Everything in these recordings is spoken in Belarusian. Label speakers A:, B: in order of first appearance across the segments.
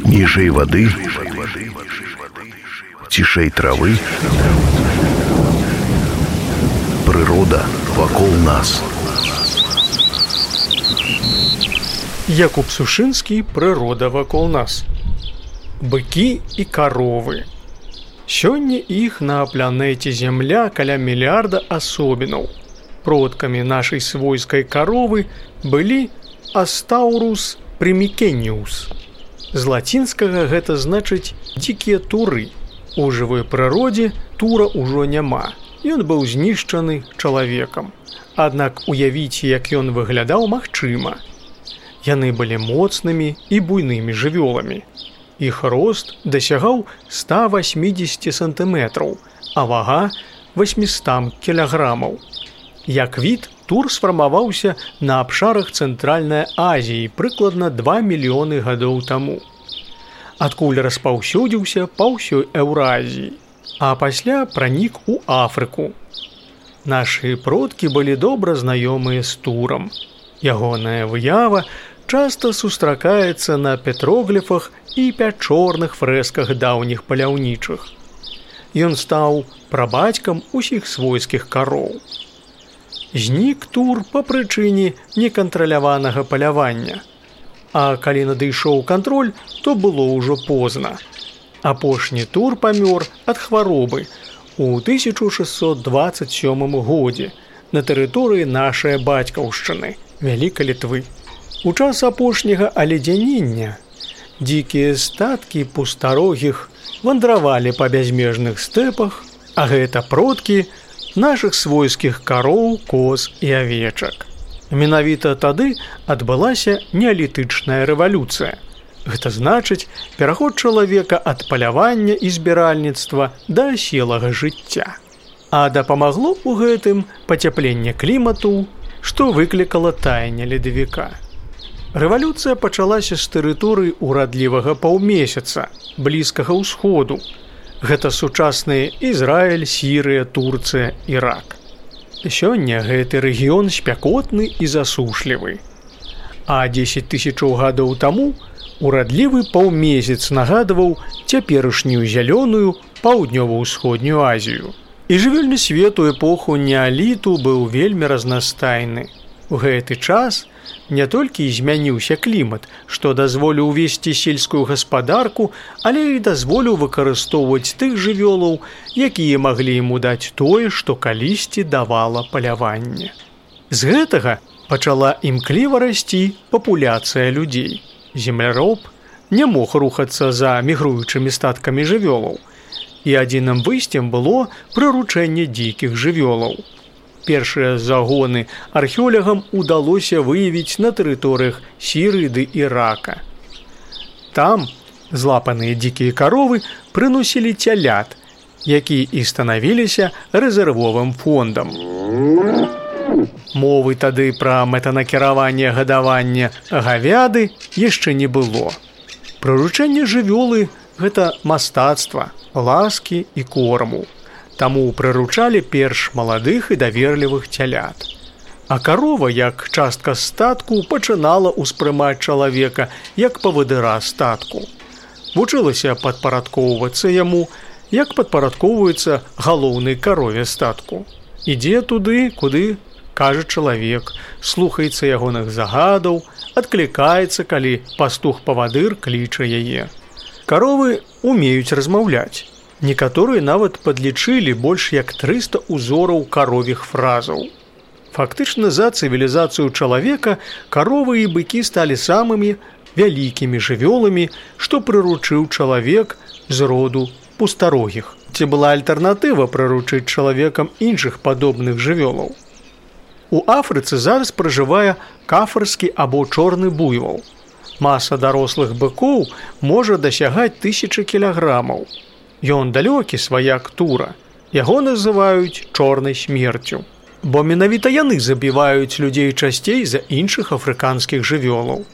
A: Ніжэй вады, цішэй травы, прырода вакол нас.
B: Якуб Сушынскі «Прырода вакол нас». Быкі і каровы. Сёння іх на планеце Зямля каля мільярда асобінаў. Продкамі нашай свойскай каровы былі Астаурус примикениус. З лацінскага гэта значыць дзікія туры. У жывой прыродзе тура ўжо няма. Ён быў знішчаны чалавекам. Аднак уявіць, як ён выглядаў, магчыма. Яны былі моцнымі і буйнымі жывёламі. Іх рост дасягаў 180 сантыметраў, а вага 800 кілаграмаў. Як від, тур сфармаваўся на абшарах Цэнтральнай Азіі прыкладна 2 мільёны гадоў таму. Адкуль распаўсюдзіўся па ўсёй Еўразіі, а пасля пранік у Афрыку. Нашы продкі былі добра знаёмыя з турам. Ягоная выява часта сустракаецца на петрогліфах і пячорных фрэсках даўніх паляўнічых. Ён стаў прабацькам усіх свойскіх кароў. Знік тур па прычыне некантраляванага палявання. А калі надышоў кантроль, то было ўжо позна. Апошні тур памёр ад хваробы у 1627 годзе на тэрыторыі нашай бацькаўшчыны, Вялікай Літвы. У час апошняга аледзянення дзікія статкі пустарогіх вандравалі па бязмежных стэпах, а гэта продкі нашых свойскіх кароў, коз і авечак. Менавіта тады адбылася неалітычная рэвалюцыя. Гэта значыць пераход чалавека ад палявання і збіральніцтва да аселага жыцця. А дапамагло ў гэтым пацяпленне клімату, што выклікала таянне ледавіка. Рэвалюцыя пачалася з тэрыторыі урадлівага паўмесяца, блізкага ўсходу. Гэта сучасныя Ізраіль, Сірыя, Турцыя, Ірак. Сёння гэты рэгіён спякотны і засушлівы. А 10 тысячаў гадоў таму урадлівы паўмесяц нагадваў цяперашнюю зялёную паўднёва-ўсходнюю Азію. І жывёльны свет у эпоху неаліту быў вельмі разнастайны. У гэты час не толькі змяніўся клімат, што дазволіў весці сельскую гаспадарку, але і дазволіў выкарыстоўваць тых жывёлаў, якія маглі яму даць тое, што калісьці давала паляванне. З гэтага пачала імкліва расці папуляцыя людзей. Земляроб не мог рухацца за мігруючымі статкамі жывёлаў, і адзіным выйсцем было прыручэнне дзікіх жывёлаў. Першыя загоны археолагам удалося выявіць на тэрыторыях Сірыі ды Ірака. Там злапаныя дзікія каровы прыносілі цялят, якія і станавіліся рэзервовым фондам. Мовы тады пра мэтанакіраванне гадавання гавяды яшчэ не было. Прыручэнне жывёлы – гэта мастацтва, ласкі і корму. Таму прыручалі перш маладых і даверлівых цялят. А карова, як частка статку, пачынала ўспрымаць чалавека як павадыра статку. Вучылася падпарадкоўвацца яму, як падпарадкоўваецца галоўнай карове статку. Ідзе туды, куды кажа чалавек, слухаецца ягоных загадаў, адклікаецца, калі пастух-павадыр кліча яе. Каровы умеюць размаўляць. Некаторыя нават падлічылі больш як 300 узораў каровіх фразаў. Фактычна за цывілізацыю чалавека каровы і быкі сталі самымі вялікімі жывёламі, што прыручыў чалавек з роду пустарогіх. Ці была альтэрнатыва прыручыць чалавекам іншых падобных жывёлаў? У Афрыцы зараз пражывае кафарскі або чорны буйвол. Маса дарослых быкоў можа дасягаць 1000 кілаграмаў. Ён далёкі сваяк тура. Яго называюць чорнай смерцю. Бо менавіта яны забіваюць людзей часцей за іншых афрыканскіх жывёлаў.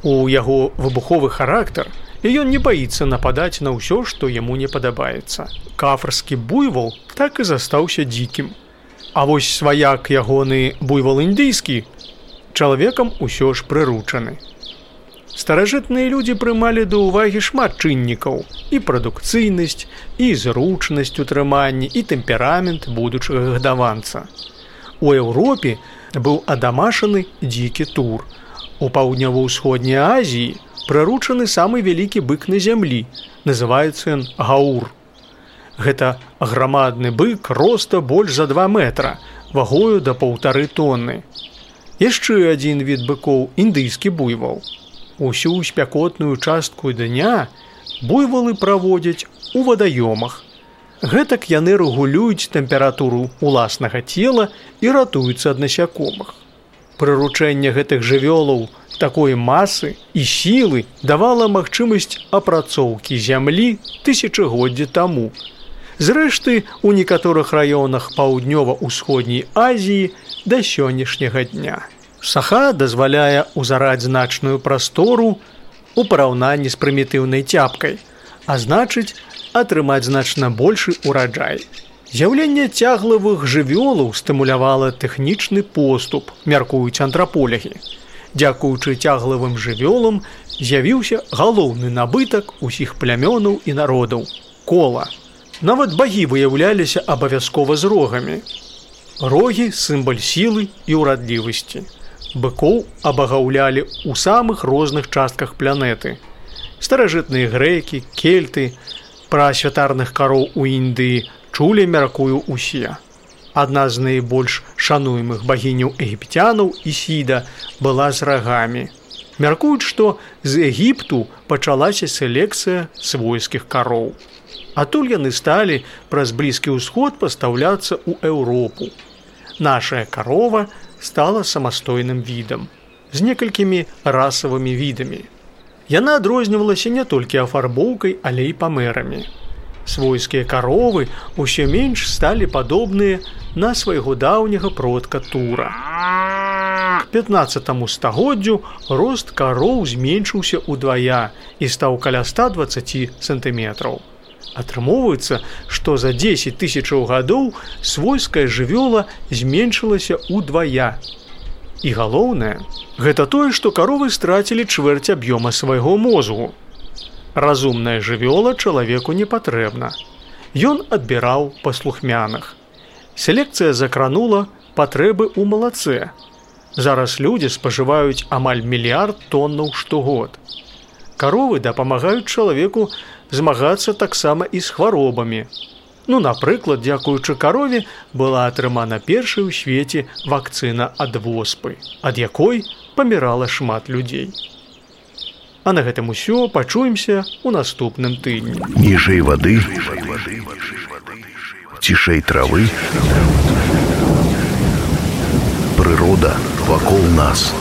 B: У яго выбуховы характар, і ён не баіцца нападаць на ўсё, што яму не падабаецца. Кафарскі буйвол так і застаўся дзікім. А вось сваяк ягоны буйвол індыйскі чалавекам усё ж прыручаны. Старажытныя людзі прымалі да ўвагі шмат чыннікаў: і прадукцыйнасць, і зручнасць утрымання, і тэмперамент будучага гадаванца. У Еўропе быў адамашаны дзікі тур. У паўднёва-ўсходняй Азіі прыручаны самы вялікі бык на зямлі, называецца ён гаур. Гэта грамадны бык роста больш за 2 метра, вагою да 1,5 тонны. Яшчэ адзін від быкоў – індыйскі буйвол. Усю спякотную частку дня буйволы праводзяць у вадаёмах. Гэтак яны рэгулююць тэмпературу ўласнага цела і ратуюцца ад насякомых. Прыручэнне гэтых жывёлаў такой масы і сілы давала магчымасць апрацоўкі зямлі тысячагоддзі таму. Зрэшты, у некаторых раёнах паўднёва-ўсходняй Азіі да сённяшняга дня. Саха дазваляе ўзараць значную прастору у параўнанні з прымітыўнай цяпкай, а значыць, атрымаць значна большы ураджай. З'яўленне цяглавых жывёлаў стымулявала тэхнічны поступ, мяркуюць антраполягі. Дзякуючы цяглавым жывёлам з'явіўся галоўны набытак усіх плямёнаў і народаў – кола. Нават багі выяўляліся абавязкова з рогамі. Рогі – сімвал сілы і ўрадлівасці. Быкоў абагаўлялі ў самых розных частках планеты. Старажытныя грэкі, кельты, пра святарных кароў у Індыі чулі, мяркую, усе. Адна з найбольш шануемых багіняў егіпцянаў, Ісіда, была з рагамі. Мяркуюць, што з Егіпту пачалася селекцыя свойскіх кароў. Адтуль яны сталі праз Блізкі ўсход пастаўляцца ў Еўропу. Нашая карова стала самастойным відам, з некалькімі расавымі відамі. Яна адрознівалася не толькі афарбоўкай, але і памерамі. Свойскія каровы ўсё менш сталі падобныя на свайго даўняга продка тура. К 15 стагоддзю рост кароў зменшыўся ўдвая і стаў каля 120 сантыметраў. Атрымоўваецца, што за 10 тысячаў гадоў свойская жывёла зменшылася ўдвая. І галоўнае, гэта тое, што каровы страцілі чвэрць аб'ёма свайго мозгу. Разумная жывёла чалавеку не патрэбна. Ён адбіраў паслухмяных. Селекцыя закранула патрэбы ў малацэ. Зараз людзі спажываюць амаль 1 мільярд тоннаў штогод. Каровы дапамагаюць чалавеку змагацца таксама і з хваробамі. Напрыклад, дзякуючы карове была атрымана першая ў свеце вакцына ад воспы, ад якой памірала шмат людзей. А на гэтым усё, пачуемся ў наступным тыдні.
A: Ніжэй вады, цішэй травы, прырода вакол нас.